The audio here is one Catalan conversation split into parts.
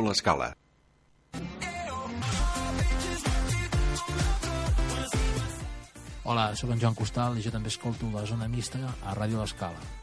Ràdio L'Escala. Hola, sóc en Joan Costal i jo també escolto la Zona Mixta a Ràdio L'Escala.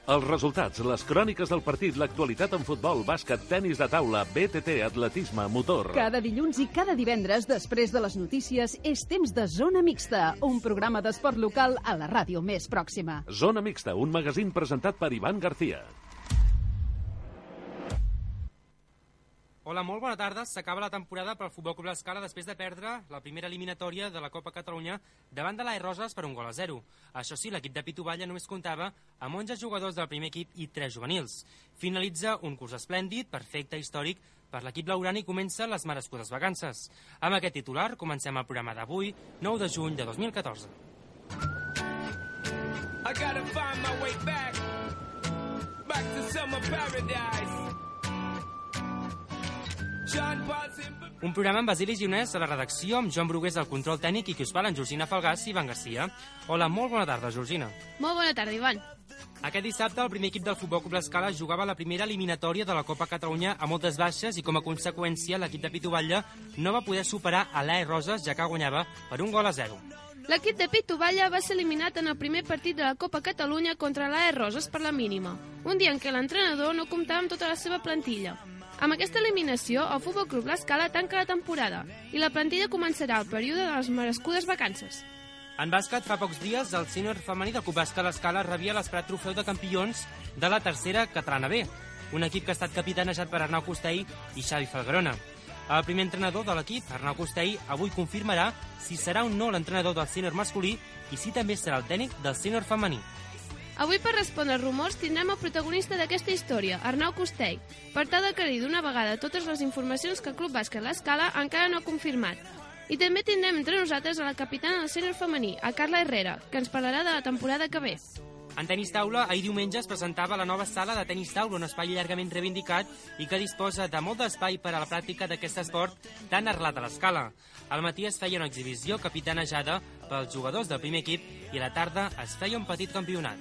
Els resultats, les cròniques del partit, l'actualitat en futbol, bàsquet, tenis de taula, BTT, atletisme, motor. Cada dilluns i cada divendres, després de les notícies, és temps de Zona Mixta, un programa d'esport local a la ràdio més pròxima. Zona Mixta, un magazín presentat per Ivan García. Hola, molt bona tarda. S'acaba la temporada pel Futbol Club L'Escala després de perdre la primera eliminatòria de la Copa Catalunya davant de l'AE Roses per 1-0. Això sí, l'equip de Pitu Valla només comptava amb 11 jugadors del primer equip i 3 juvenils. Finalitza un curs esplèndid, perfecte, històric per l'equip blaugrana i comencen les merescudes vacances. Amb aquest titular comencem el programa d'avui, 9 de juny de 2014. I gotta find my way back to summer paradise. Un programa amb Basili Gionès a la redacció, amb Joan Brugués al control tècnic i qui us parla, en Georgina Falgàs i Ivan García. Hola, molt bona tarda, Georgina. Molt bona tarda, Ivan. Aquest dissabte el primer equip del Futbol Club L'Escala jugava la primera eliminatòria de la Copa Catalunya a moltes baixes i com a conseqüència l'equip de Pitu Valla no va poder superar a l'AE Roses, ja que guanyava per 1-0. L'equip de Pitu Valla va ser eliminat en el primer partit de la Copa Catalunya contra l'AE Roses per la mínima, un dia en què l'entrenador no comptava amb tota la seva plantilla. Amb aquesta eliminació, el Futbol Club L'Escala tanca la temporada i la plantilla començarà el període de les merescudes vacances. En bàsquet, fa pocs dies, el sènior femení del Club Bàsquet L'Escala rebia l'esperat trofeu de campions de la tercera catalana B, un equip que ha estat capitanejat per Arnau Costell i Xavi Falgarona. El primer entrenador de l'equip, Arnau Costell, avui confirmarà si serà o no l'entrenador del sènior masculí i si també serà el tècnic del sènior femení. Avui, per respondre rumors, tindrem el protagonista d'aquesta història, Arnau Costell, per tal d'aclarir d'una vegada totes les informacions que el Club Bàsquet L'Escala encara no ha confirmat. I també tindrem entre nosaltres a la capitana del sènior femení, a Carla Herrera, que ens parlarà de la temporada que ve. En tenis taula, ahir diumenge es presentava la nova sala de tenis taula, un espai llargament reivindicat i que disposa de molt d'espai per a la pràctica d'aquest esport tan arrelat a l'Escala. Al matí es feia una exhibició capitanejada pels jugadors del primer equip i a la tarda es feia un petit campionat.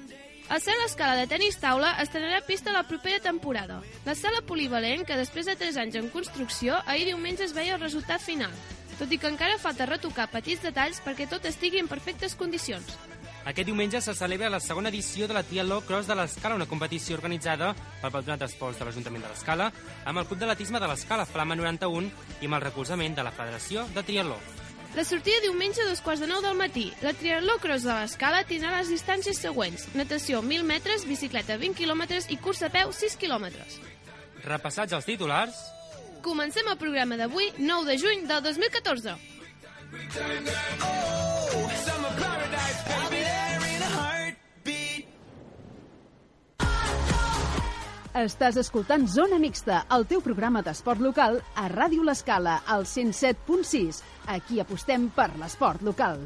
El Cel Escala de tenis taula estrenarà pista la propera temporada. La sala polivalent, que després de 3 anys en construcció, ahir diumenge es veia el resultat final, tot i que encara falta retocar petits detalls perquè tot estigui en perfectes condicions. Aquest diumenge se celebra la segona edició de la Triatló Cross de l'Escala, una competició organitzada pel Patronat d'Esports de l'Ajuntament de l'Escala, amb el Club d'Atletisme de l'Escala, Flama 91, i amb el recolzament de la Federació de Triatló. La sortida diumenge a 8:45 del matí. La Triatló Cross de l'Escala tindrà les distàncies següents: natació 1.000 metres, bicicleta 20 quilòmetres i cursa a peu 6 quilòmetres. Repassats els titulars, comencem el programa d'avui, 9 de juny del 2014. Estàs escoltant Zona Mixta, el teu programa d'esport local a Ràdio L'Escala, al 107.6. Aquí apostem per l'esport local.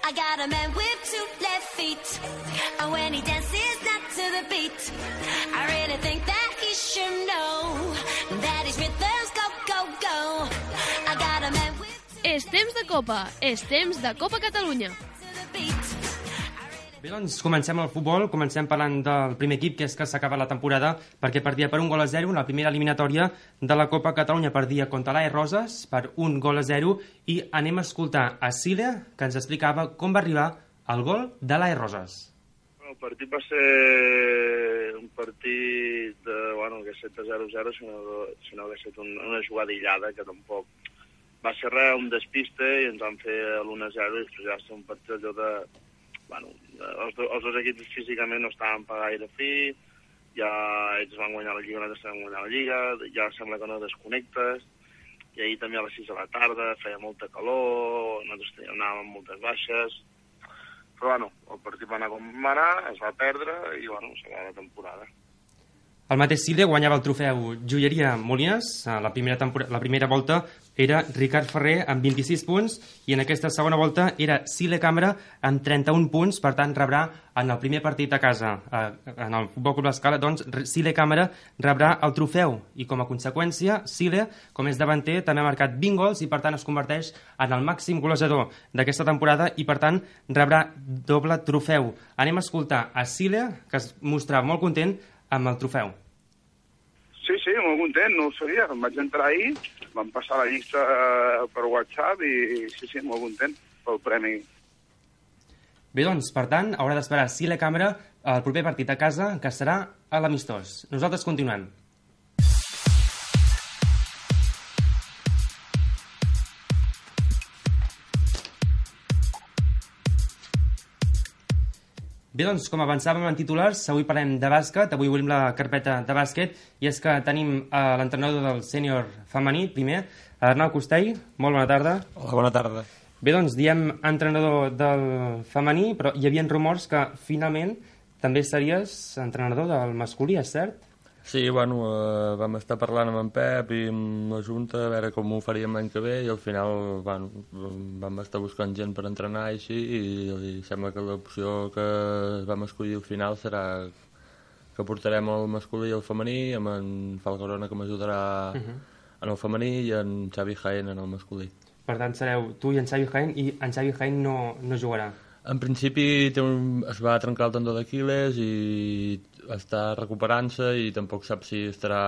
I got a man with 2 left feet, and when he dances not to the beat, I really think that he should know that his rhythms go, go, go. I got a man with... És temps de Copa, és temps de Copa Catalunya. Bé, doncs comencem el futbol, comencem parlant del primer equip, que és que s'acaba la temporada, perquè perdia per 1-0 la primera eliminatòria de la Copa Catalunya, perdia contra l'AE Roses per 1-0, i anem a escoltar a Cília, que ens explicava com va arribar el gol de l'AE Roses. El partit va ser un partit que 7-0-0, si no hagués estat una jugada aïllada, que tampoc va ser res, un despiste, i ens van fer l'1-0, i després ja va ser un partit allò de... els dos equips físicament no estaven per gaire fi, ja ells van guanyar la Lliga, nosaltres vam guanyar la Lliga, ja sembla que no desconnectes, i ahir també a les 6 de la tarda feia molta calor, nosaltres anàvem amb moltes baixes, però el partit va anar com va anar, es va perdre, i s'acaba la temporada. El mateix Cília guanyava el trofeu Joieria Molines la primera volta era Ricard Ferrer amb 26 punts i en aquesta segona volta era Sile Cambra amb 31 punts, per tant rebrà en el primer partit a casa en el Futbol Club L'Escala, doncs Sile Cambra rebrà el trofeu i com a conseqüència Sile, com és davanter, també ha marcat 20 gols i per tant es converteix en el màxim golejador d'aquesta temporada i per tant rebrà doble trofeu. Anem a escoltar a Sile, que es mostrava molt content amb el trofeu. Sí, molt content, no ho sabia. Em vaig entrar ahir, vam passar la llista per WhatsApp i sí, molt content pel premi. Bé, doncs, per tant, haurà d'esperar Sile Cambra el proper partit a casa, que serà a l'Amistós. Nosaltres continuem. Bé, doncs, com avançàvem en titulars, avui parlem de bàsquet, avui obrim la carpeta de bàsquet, i és que tenim l'entrenador del sènior femení, primer, Arnau Costell. Molt bona tarda. Hola, bona tarda. Bé, doncs, diem entrenador del femení, però hi havia rumors que finalment també series entrenador del masculí, és cert? Sí, bueno, vam estar parlant amb en Pep i amb la Junta a veure com ho faríem l'any que ve i al final vam estar buscant gent per entrenar i així i sembla que l'opció que vam escollir al final serà que portarem el masculí i el femení amb en Falgarona que m'ajudarà en el femení i en Xavi Jaén en el masculí. Per tant, sereu tu i en Xavi Jaén i en Xavi Jaén no jugarà. En principi es va trencar el tendó d'Aquil·les i està recuperant-se i tampoc sap si estarà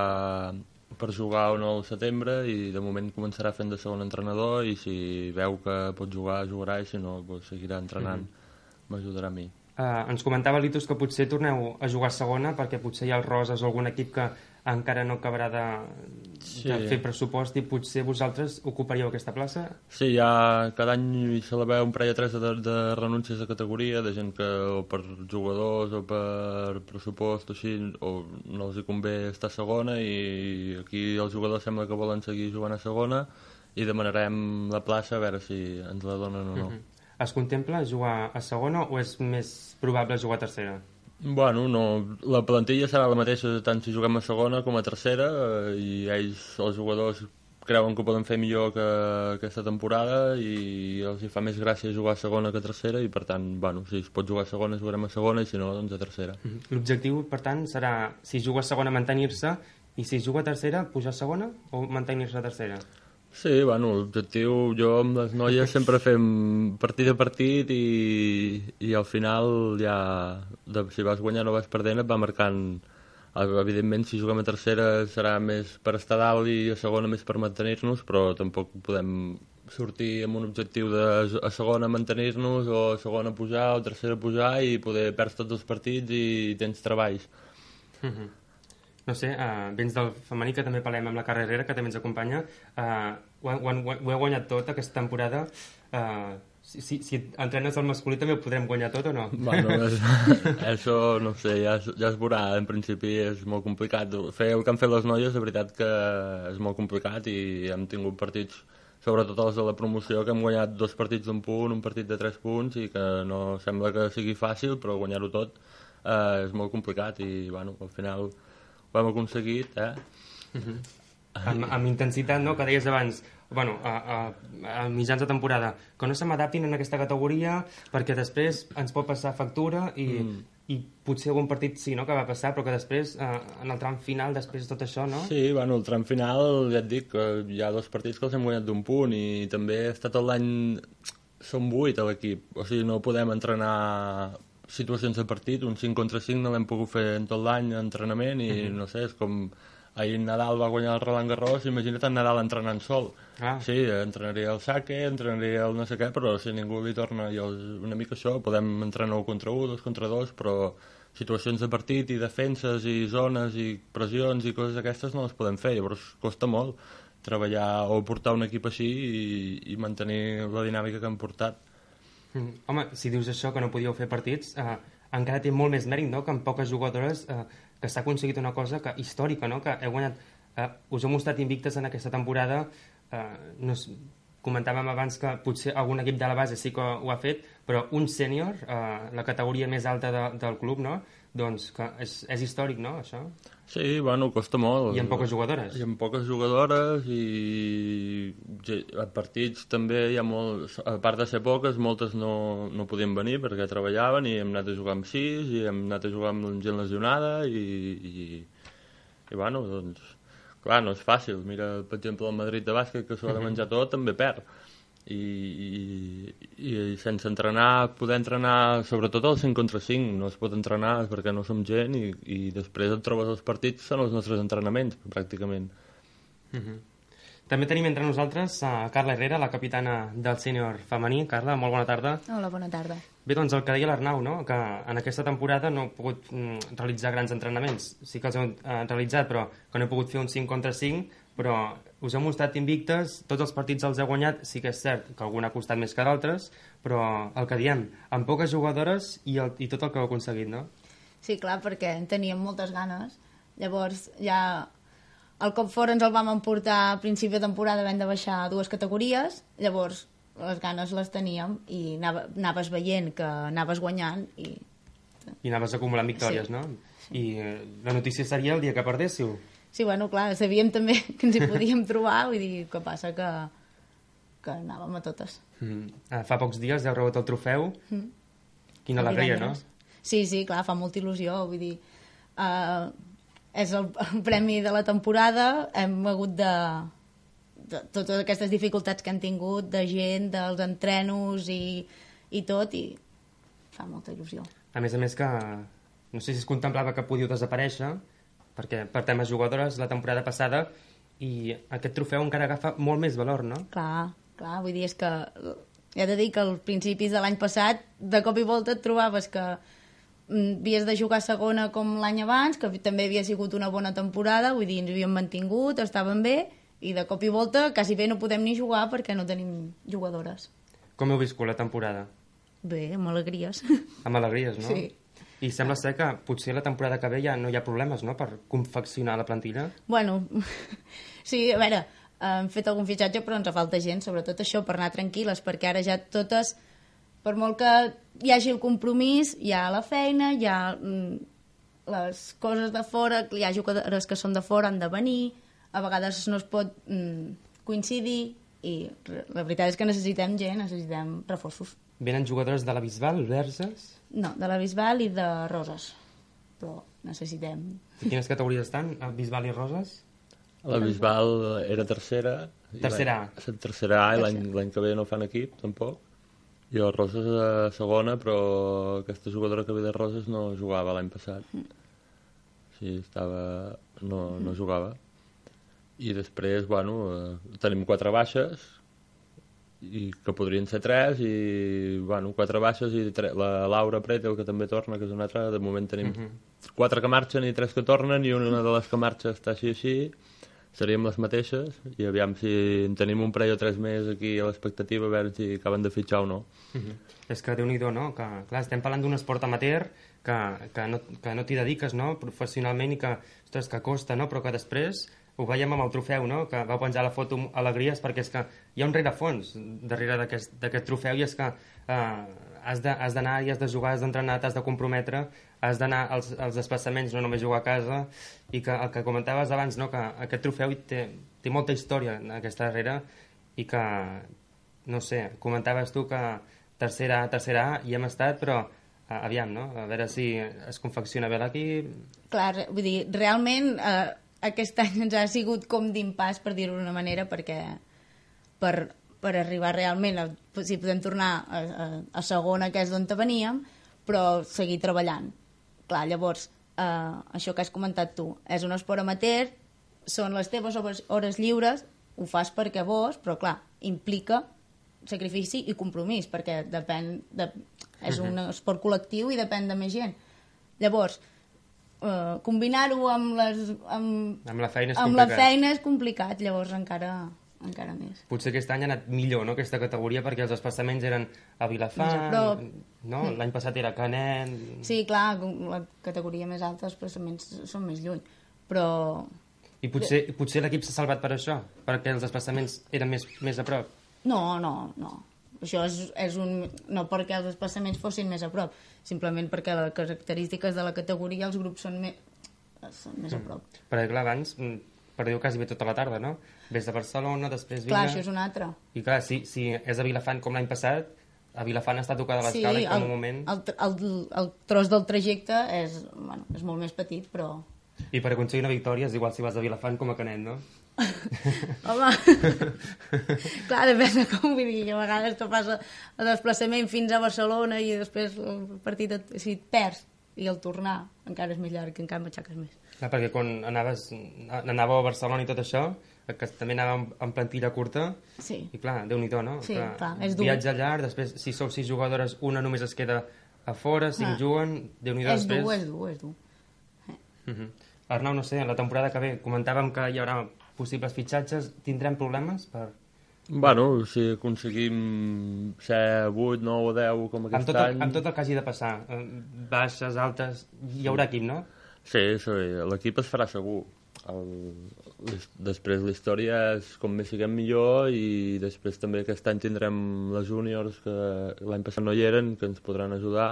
per jugar o no al setembre i de moment començarà fent de segon entrenador i si veu que pot jugar, jugarà i si no seguirà entrenant. M'ajudarà a mi. Ens comentava l'Itus que potser torneu a jugar a segona perquè potser hi ha el Roses o algun equip que encara no acabarà de fer pressupost i potser vosaltres ocuparíeu aquesta plaça? Sí, cada any se la veu un parell o tres de renúncies de categoria, de gent que o per jugadors o per pressupost o així, o no els hi convé estar a segona i aquí els jugadors sembla que volen seguir jugant a segona i demanarem la plaça a veure si ens la donen o no. Es contempla jugar a segona o és més probable jugar a tercera? Bueno, no, la plantilla serà la mateixa tant si juguem a segona com a tercera i ells, els jugadors, creuen que ho poden fer millor que aquesta temporada i els hi fa més gràcia jugar a segona que a tercera i per tant, bueno, si es pot jugar a segona jugarem a segona i si no, doncs a tercera. L'objectiu, per tant, serà si juga a segona mantenir-se i si juga a tercera pujar a segona o mantenir-se a tercera? Sí, bueno, l'objectiu, jo amb les noies sempre fem partit a partit i al final ja, si vas guanyant o vas perdent et va marcant, evidentment si juguem a tercera serà més per estar dalt i a segona més per mantenir-nos, però tampoc podem sortir amb un objectiu de a segona mantenir-nos o a segona pujar o a tercera pujar i poder perdre tots els partits i tens treballs. No sé, vens del femení, que també parlem amb la Carla Herrera, que també ens acompanya. Ho heu guanyat tot aquesta temporada. Si entrenes el masculí també ho podrem guanyar tot o no? Bueno, això no sé, ja es veurà. En principi és molt complicat. Fer el que han fet les noies, de veritat que és molt complicat i hem tingut partits, sobretot els de la promoció, que hem guanyat 2 partits d'1 punt, un partit de 3 punts i que no sembla que sigui fàcil, però guanyar-ho tot és molt complicat i bueno, al final ho hem aconseguit, Amb intensitat, no?, que deies abans, bueno, a mitjans de temporada, que no se m'adaptin en aquesta categoria perquè després ens pot passar factura i potser algun partit sí, no?, que va passar, però que després, en el tram final, després de tot això, no? Sí, bueno, el tram final, ja et dic, que hi ha 2 partits que els hem guanyat d'1 punt i també està tot l'any, som 8 a l'equip, o sigui, no podem entrenar situacions de partit, un 5 contra 5 no l'hem pogut fer en tot l'any d'entrenament i no sé, és com ahir Nadal va guanyar el Roland Garros, imagina't en Nadal entrenant sol. Sí, entrenaria el saque, entrenaria el no sé què, però si ningú li torna una mica això, podem entrenar 1 contra 1, 2 contra 2, però situacions de partit i defenses i zones i pressions i coses d'aquestes no les podem fer, llavors costa molt treballar o portar un equip així i mantenir la dinàmica que hem portat. Home, si dius això, que no podíeu fer partits, encara té molt més mèrit, no?, que amb poques jugadores que s'ha aconseguit una cosa històrica, no?, que heu guanyat, us heu mostrat invictes en aquesta temporada, comentàvem abans que potser algun equip de la base sí que ho ha fet, però un sènior, la categoria més alta del club, no?, doncs que és històric, no, això? Sí, bueno, costa molt. I amb poques jugadores. I amb poques jugadores i a partits també hi ha molts, a part de ser poques, moltes no podien venir perquè treballaven i hem anat a jugar amb 6 i hem anat a jugar amb gent lesionada i bueno, doncs, clar, no és fàcil. Mira, per exemple, el Madrid de bàsquet, que s'ho ha de menjar tot, també perd. I sense entrenar, poder entrenar sobretot al 5 contra 5 no es pot entrenar perquè no som gent i després et trobes els partits, són els nostres entrenaments pràcticament. També tenim entre nosaltres a Carla Herrera, la capitana del sènior femení. Carla, molt bona tarda. Hola, bona tarda. Bé, doncs el que deia l'Arnau, no? Que en aquesta temporada no he pogut realitzar grans entrenaments. Sí que els heu realitzat, però que no he pogut fer un 5 contra 5, però us heu mostrat invictes, tots els partits els heu guanyat, sí que és cert que algun ha costat més que d'altres, però el que diem, amb poques jugadores i tot el que heu aconseguit, no? Sí, clar, perquè en teníem moltes ganes. Llavors, ja el cop fora ens el vam emportar a principi de temporada, vam de baixar 2 categories, llavors les ganes les teníem i anaves veient que anaves guanyant i anaves acumulant victòries, sí. No? I la notícia seria el dia que perdéssiu. Sí, bueno, clar, sabíem també que ens hi podíem trobar, vull dir, que passa que anàvem a totes. Fa pocs dies heu rebut el trofeu. Quina alegria, no? Sí, clar, fa molta il·lusió, vull dir, és el premi de la temporada, hem hagut de totes aquestes dificultats que han tingut de gent, dels entrenos i tot, i fa molta il·lusió. A més que no sé si es contemplava que podíeu desaparèixer, perquè per temes jugadores la temporada passada i aquest trofeu encara agafa molt més valor, no? Clar, vull dir, és que he de dir que als principis de l'any passat de cop i volta et trobaves que havies de jugar segona com l'any abans, que també havia sigut una bona temporada, vull dir, ens havíem mantingut, estaven bé, i de cop i volta quasi bé no podem ni jugar perquè no tenim jugadores. Com heu viscut la temporada? Bé, amb alegries. Amb alegries, no? Sí. I sembla ser que potser la temporada que ve ja no hi ha problemes, no?, per confeccionar la plantilla. Bueno, sí, a veure, hem fet algun fitxatge però ens falta gent, sobretot això, per anar tranquil·les, perquè ara ja totes, per molt que hi hagi el compromís, hi ha la feina, hi ha les coses de fora, hi ha jugadores que són de fora, han de venir, a vegades no es pot coincidir, i la veritat és que necessitem gent, necessitem reforços. Venen jugadores de la Bisbal, Verges? No, de la Bisbal i de Roses, però necessitem. I quines categories estan, Bisbal i Roses? La Bisbal era tercera. Tercera A. Tercera A, i l'any que ve no fan equip, tampoc. I el Roses a segona, però aquesta jugadora que ve de Roses no jugava l'any passat. Sí, no jugava. I després, bueno, tenim 4 baixes, i que podrien ser 3, i, bueno, 4 baixes, i la Laura Pretel, que també torna, que és una altra. De moment tenim 4 que marxen i 3 que tornen, i una de les que marxa està així, seríem les mateixes, i aviam si en tenim un parell o 3 més aquí a l'expectativa, a veure si acaben de fitxar o no. És que Déu-n'hi-do, no? Que, clar, estem parlant d'un esport amateur que no t'hi dediques, no?, professionalment, i que, ostres, que costa, no?, però que després ho veiem amb el trofeu, no?, que vau penjar la foto alegries, perquè és que hi ha un rerefons darrere d'aquest trofeu, i és que has d'anar i has de jugar, has d'entrenar, t'has de comprometre, has d'anar als desplaçaments, no només jugar a casa, i que el que comentaves abans, no?, que aquest trofeu té molta història aquesta darrere, i que, no sé, comentaves tu que tercera A hi hem estat, però aviam, no?, a veure si es confecciona bé l'equip. Clar, vull dir, realment aquest any ens ha sigut com d'impàs, per dir-ho d'una manera, perquè per arribar realment, si podem tornar a segona, que és d'on veníem, però seguir treballant. Clar, llavors, això que has comentat tu, és un esport amateur, són les teves hores lliures, ho fas perquè vols, però clar, implica sacrifici i compromís, perquè és un esport col·lectiu i depèn de més gent. Llavors, combinar-ho amb la feina és complicat, llavors encara més. Potser aquest any ha anat millor, no?, aquesta categoria, perquè els desplaçaments eren a Vilafant, no? L'any passat era Canet. Sí, clar, la categoria més alta, els desplaçaments són més lluny, però... I potser l'equip s'ha salvat per això, perquè els desplaçaments eren més a prop? No. Això és no perquè els desplaçaments fossin més a prop, simplement perquè les característiques de la categoria els grups són més a prop. Perquè clar, abans perdiu quasi bé tota la tarda, no? Ves de Barcelona, després Vila... Clar, això és un altre. I clar, si és a Vilafant com l'any passat, a Vilafant està tocada l'escala i en un moment... el tros del trajecte és molt més petit, però... I per aconseguir una victòria és igual si vas a Vilafant com a Canet, no? Home, clar, depèn de com, vull dir, a vegades tu fas el desplaçament fins a Barcelona i després el partit, si et perds i el tornar encara és més llarg, que encara m'aixaques més. Clar, perquè quan anàveu a Barcelona i tot això, que també anàvem en plantilla curta, sí. I clar, Déu-n'hi-do, no? Sí, clar, és dur. Viatge llarg, després, si sou 6 jugadores, una només es queda a fora, 5 juguen, Déu-n'hi-do després... És dur. Arnau, no sé, la temporada que ve comentàvem que hi haurà possibles fitxatges, tindrem problemes per... Bueno, si aconseguim ser 8, 9 o 10 com aquest any... Amb tot el que hagi de passar, baixes, altes, hi haurà equip, no? Sí, l'equip es farà segur. Després la història és com més siguem millor i després també aquest any tindrem les júniors que l'any passat no hi eren, que ens podran ajudar,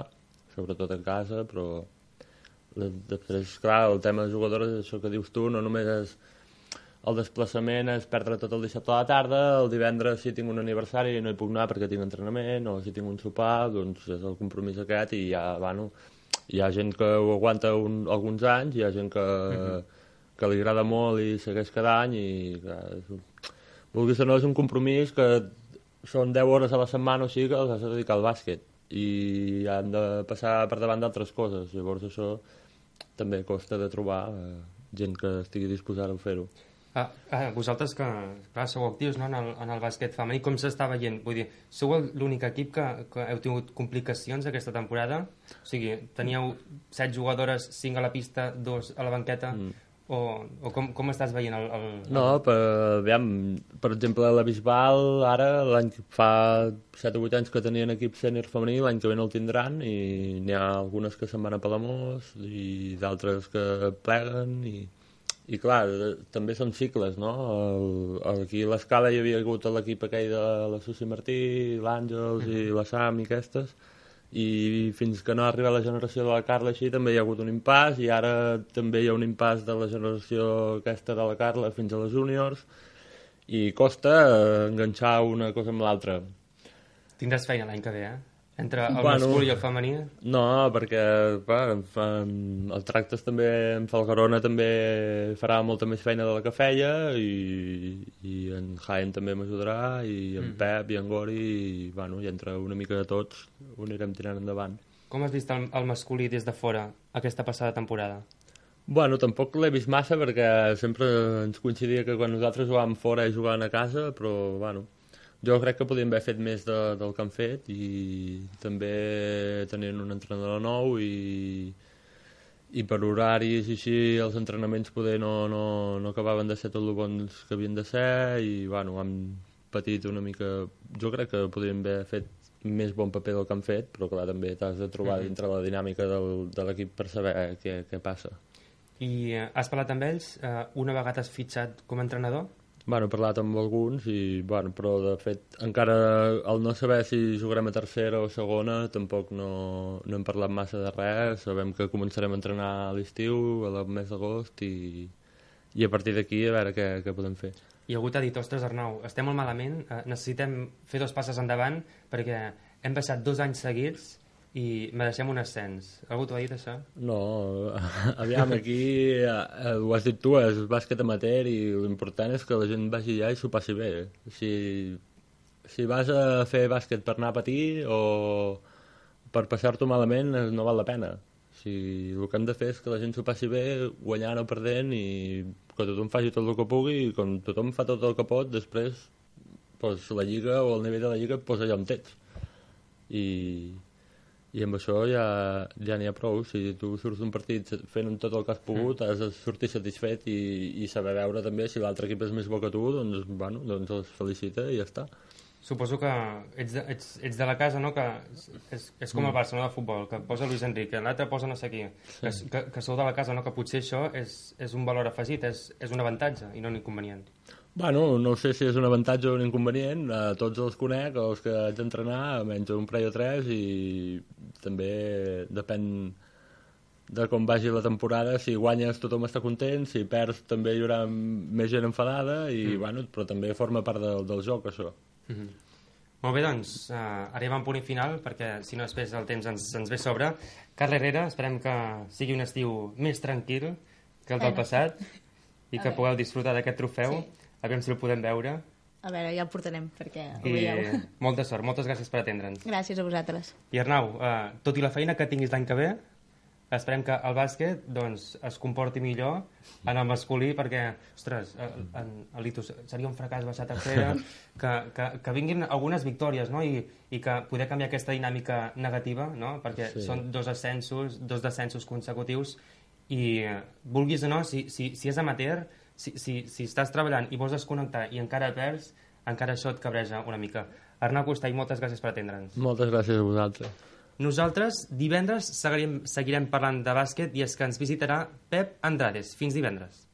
sobretot a casa, però després, clar, el tema de jugadores és això que dius tu, no només és el desplaçament, és perdre tot el dissabte a la tarda, el divendres si tinc un aniversari no hi puc anar perquè tinc entrenament, o si tinc un sopar, doncs és el compromís aquest i ja, bueno, hi ha gent que ho aguanta alguns anys, hi ha gent que li agrada molt i segueix cada any i clar, vulguis o no és un compromís que són 10 hores a la setmana o sigui que els has de dedicar al bàsquet i han de passar per davant d'altres coses, llavors això també costa de trobar gent que estigui disposada a fer-ho. Vosaltres que clar, sou actius, no, en el bàsquet femení, com s'està veient? Vull dir, sou l'únic equip que heu tingut complicacions aquesta temporada? O sigui, teníeu 7 jugadores, 5 a la pista, 2 a la banqueta, o com estàs veient el... No, per exemple, la Bisbal, ara, fa 7 o 8 anys que tenien equip sènior femení, l'any que ve no el tindran, i n'hi ha algunes que se'n van a Palamós, i d'altres que pleguen, i clar, també són cicles, no? Aquí a l'Escala hi havia hagut l'equip aquell de la Susi Martí, l'Àngels i la Sam i aquestes, i fins que no ha arribat la generació de la Carla així també hi ha hagut un impàs i ara també hi ha un impàs de la generació aquesta de la Carla fins a les júniors i costa enganxar una cosa amb l'altra. Tindràs feina l'any que ve, Entre el masculí i el femení? No, perquè el Tractes també en Falgarona també farà molta més feina de la que feia i en Jaén també m'ajudarà i en Pep i en Gori i entre una mica de tots ho anirem tirant endavant. Com has vist el masculí des de fora aquesta passada temporada? Bueno, tampoc l'he vist massa perquè sempre ens coincidia que quan nosaltres jugàvem fora i jugàvem a casa, però bueno... Jo crec que podríem haver fet més del que han fet i també tenint un entrenador nou i per horaris i així els entrenaments poder no acabaven de ser tot el bons que havien de ser i bueno, han patit una mica... Jo crec que podríem haver fet més bon paper del que han fet, però clar, també t'has de trobar dintre la dinàmica de l'equip per saber què passa. I has parlat amb ells? Una vegada has fitxat com a entrenador? Bueno, he parlat amb alguns, però de fet encara al no saber si jugarem a tercera o segona tampoc no hem parlat massa de res, sabem que començarem a entrenar a l'estiu, al mes d'agost i a partir d'aquí a veure què podem fer. I algú t'ha dit, ostres Arnau, estem molt malament, necessitem fer 2 passes endavant perquè hem baixat 2 anys seguits i mereixem un ascens. Algú t'ho ha dit, això? No, aviam, aquí ho has dit tu, és bàsquet amateur i l'important és que la gent vagi allà i s'ho passi bé. Si vas a fer bàsquet per anar a patir o per passar-t'ho malament no val la pena. El que hem de fer és que la gent s'ho passi bé guanyant o perdent i que tothom faci tot el que pugui i quan tothom fa tot el que pot, després la lliga o el nivell de la lliga et posa allà on ets. I amb això ja n'hi ha prou. Si tu surts d'un partit fent tot el que has pogut, has de sortir satisfet i saber veure també si l'altre equip és més bo que tu, doncs els felicita i ja està. Suposo que ets de la casa, no? Que és com el Barcelona de futbol, que posa Luis Enrique, l'altre posa no sé qui, que sou de la casa, no? Que potser això és un valor afegit, és un avantatge i no un inconvenient. Bueno, no sé si és un avantatge o un inconvenient, tots els conec, els que haig d'entrenar, menys un parell o tres, i també depèn de com vagi la temporada. Si guanyes tothom està content, si perds també hi haurà més gent enfadada, bueno, però també forma part del joc, això. Molt bé, doncs, arribem a un punt final, perquè si no després el temps ens ve a sobre. Carla Herrera, esperem que sigui un estiu més tranquil que el del passat i que pugueu disfrutar d'aquest trofeu. A veure si el podem veure. A veure, ja el portarem, perquè ho I veieu. molta sort, moltes gràcies per atendre'ns. Gràcies a vosaltres. I Arnau, tot i la feina que tinguis l'any que ve, esperem que el bàsquet doncs, es comporti millor en el masculí, perquè, ostres, a l'Itus seria un fracàs baixar a tercera, que vinguin algunes victòries, no? I que poder canviar aquesta dinàmica negativa, no? Perquè són dos descensos consecutius, i vulguis o no, si és amateur, si estàs treballant i vols desconnectar i encara perds, encara això et cabreja una mica. Arnau Costall, moltes gràcies per atendre'ns. Moltes gràcies a vosaltres. Nosaltres divendres seguirem parlant de bàsquet, i és que ens visitarà Pep Andrades. Fins divendres.